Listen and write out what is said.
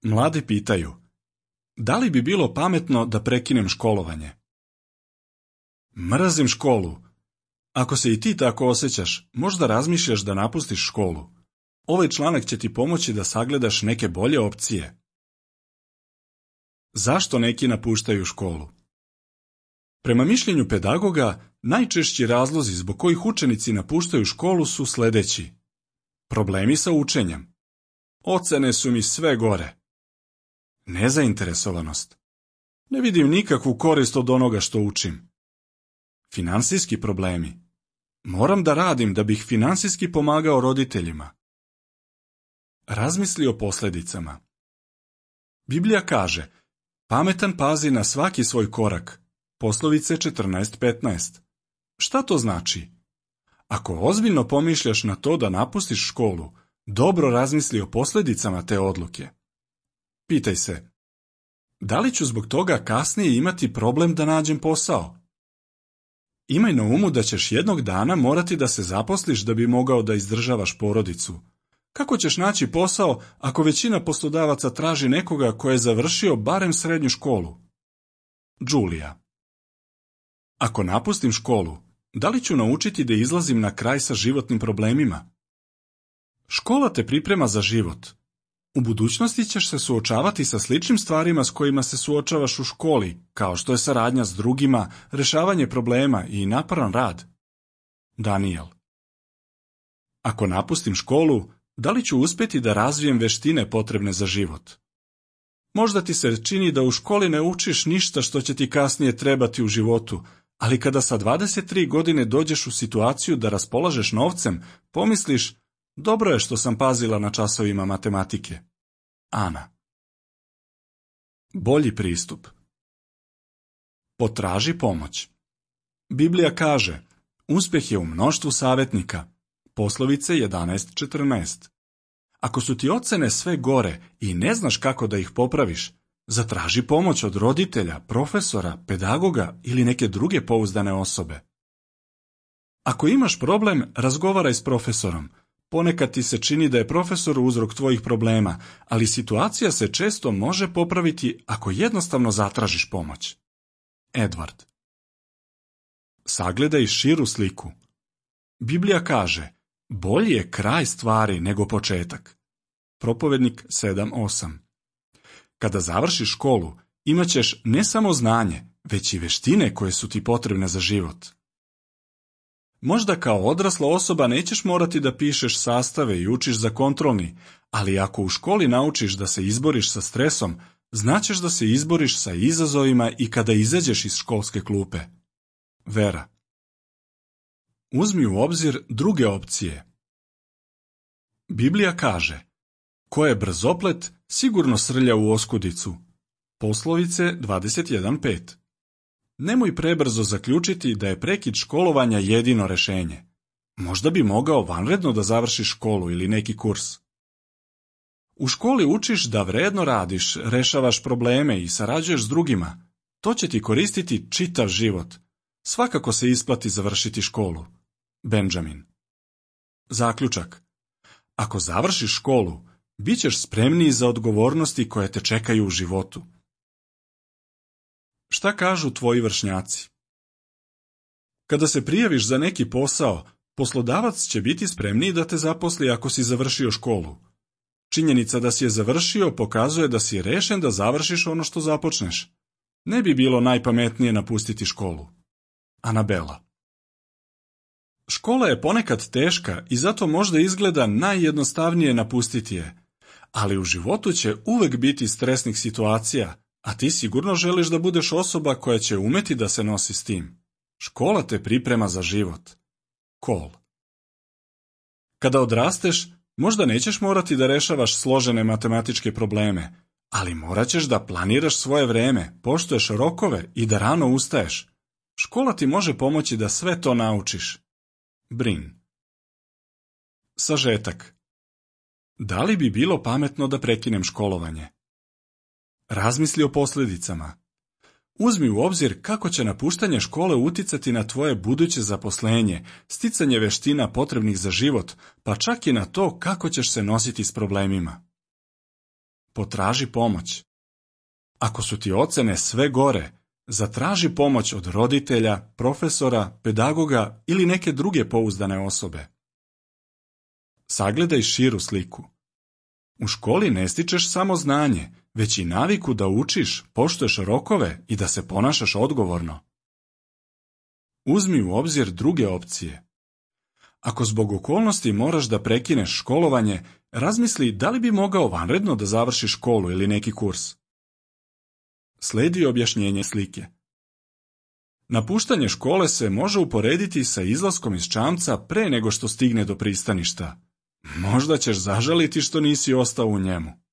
Mladi pitaju, da li bi bilo pametno da prekinem školovanje? Mrzim školu. Ako se i ti tako osjećaš, možda razmišljaš da napustiš školu. Ovaj članak će ti pomoći da sagledaš neke bolje opcije. Zašto neki napuštaju školu? Prema mišljenju pedagoga, najčešći razlozi zbog kojih učenici napuštaju školu su sljedeći. Problemi sa učenjem. Ocene su mi sve gore. Nezainteresovanost. Ne vidim nikakvu korist od onoga što učim. Finansijski problemi. Moram da radim da bih finansijski pomagao roditeljima. Razmisli o posljedicama. Biblija kaže, pametan pazi na svaki svoj korak. Poslovice 14:15. Šta to znači? Ako ozbiljno pomišljaš na to da napustiš školu, dobro razmisli o posljedicama te odluke. Pitaj se, da li ću zbog toga kasnije imati problem da nađem posao? Imaj na umu da ćeš jednog dana morati da se zaposliš da bi mogao da izdržavaš porodicu. Kako ćeš naći posao ako većina poslodavaca traži nekoga ko je završio barem srednju školu? Đulija. Ako napustim školu, da li ću naučiti da izlazim na kraj sa životnim problemima? Škola te priprema za život. U budućnosti ćeš se suočavati sa sličnim stvarima s kojima se suočavaš u školi, kao što je saradnja s drugima, rešavanje problema i naporan rad. Daniel. Ako napustim školu, da li ću uspjeti da razvijem veštine potrebne za život? Možda ti se čini da u školi ne učiš ništa što će ti kasnije trebati u životu, ali kada sa 23 godine dođeš u situaciju da raspolažeš novcem, pomisliš, dobro je što sam pazila na časovima matematike. Ana. Bolji pristup. Potraži pomoć. Biblija kaže, uspjeh je u mnoštvu savjetnika. Poslovice 11:14. Ako su ti ocene sve gore i ne znaš kako da ih popraviš, zatraži pomoć od roditelja, profesora, pedagoga ili neke druge pouzdane osobe. Ako imaš problem, razgovaraj s profesorom. Ponekad ti se čini da je profesor uzrok tvojih problema, ali situacija se često može popraviti ako jednostavno zatražiš pomoć. Edward. Sagledaj širu sliku. Biblija kaže, bolji je kraj stvari nego početak. Propovednik 7:8. Kada završiš školu, imat ćeš ne samo znanje, već i veštine koje su ti potrebne za život. Možda kao odrasla osoba nećeš morati da pišeš sastave i učiš za kontrolni, ali ako u školi naučiš da se izboriš sa stresom, znaćeš da se izboriš sa izazovima i kada izađeš iz školske klupe. Vera. Uzmi u obzir druge opcije. Biblija kaže, ko je brzoplet, sigurno srlja u oskudicu. Poslovice 21:5. Nemoj prebrzo zaključiti da je prekid školovanja jedino rešenje. Možda bi mogao vanredno da završiš školu ili neki kurs. U školi učiš da vredno radiš, rešavaš probleme i sarađuješ s drugima. To će ti koristiti čitav život. Svakako se isplati završiti školu. Benjamin. Zaključak. Ako završiš školu, bit ćeš spremniji za odgovornosti koje te čekaju u životu. Šta kažu tvoji vršnjaci? Kada se prijaviš za neki posao, poslodavac će biti spremniji da te zaposli ako si završio školu. Činjenica da si je završio pokazuje da si rešen da završiš ono što započneš. Ne bi bilo najpametnije napustiti školu. Anabela. Škola je ponekad teška i zato možda izgleda najjednostavnije napustiti je, ali u životu će uvek biti stresnih situacija, a ti sigurno želiš da budeš osoba koja će umeti da se nosi s tim. Škola te priprema za život. Cole. Kada odrasteš, možda nećeš morati da rešavaš složene matematičke probleme, ali morat ćeš da planiraš svoje vreme, poštuješ rokove i da rano ustaješ. Škola ti može pomoći da sve to naučiš. Brin. Sažetak. Da li bi bilo pametno da prekinem školovanje? Razmisli o posljedicama. Uzmi u obzir kako će napuštanje škole uticati na tvoje buduće zaposlenje, sticanje veština potrebnih za život, pa čak i na to kako ćeš se nositi s problemima. potraži pomoć. Ako su ti ocene sve gore, zatraži pomoć od roditelja, profesora, pedagoga ili neke druge pouzdane osobe. Sagledaj širu sliku. U školi ne stičeš samo znanje, već i naviku da učiš, poštuješ rokove i da se ponašaš odgovorno. Uzmi u obzir druge opcije. Ako zbog okolnosti moraš da prekineš školovanje, razmisli da li bi mogao vanredno da završiš školu ili neki kurs. Slijedi objašnjenje slike. Napuštanje škole se može uporediti sa izlaskom iz čamca pre nego što stigne do pristaništa. Možda ćeš zažaliti što nisi ostao u njemu.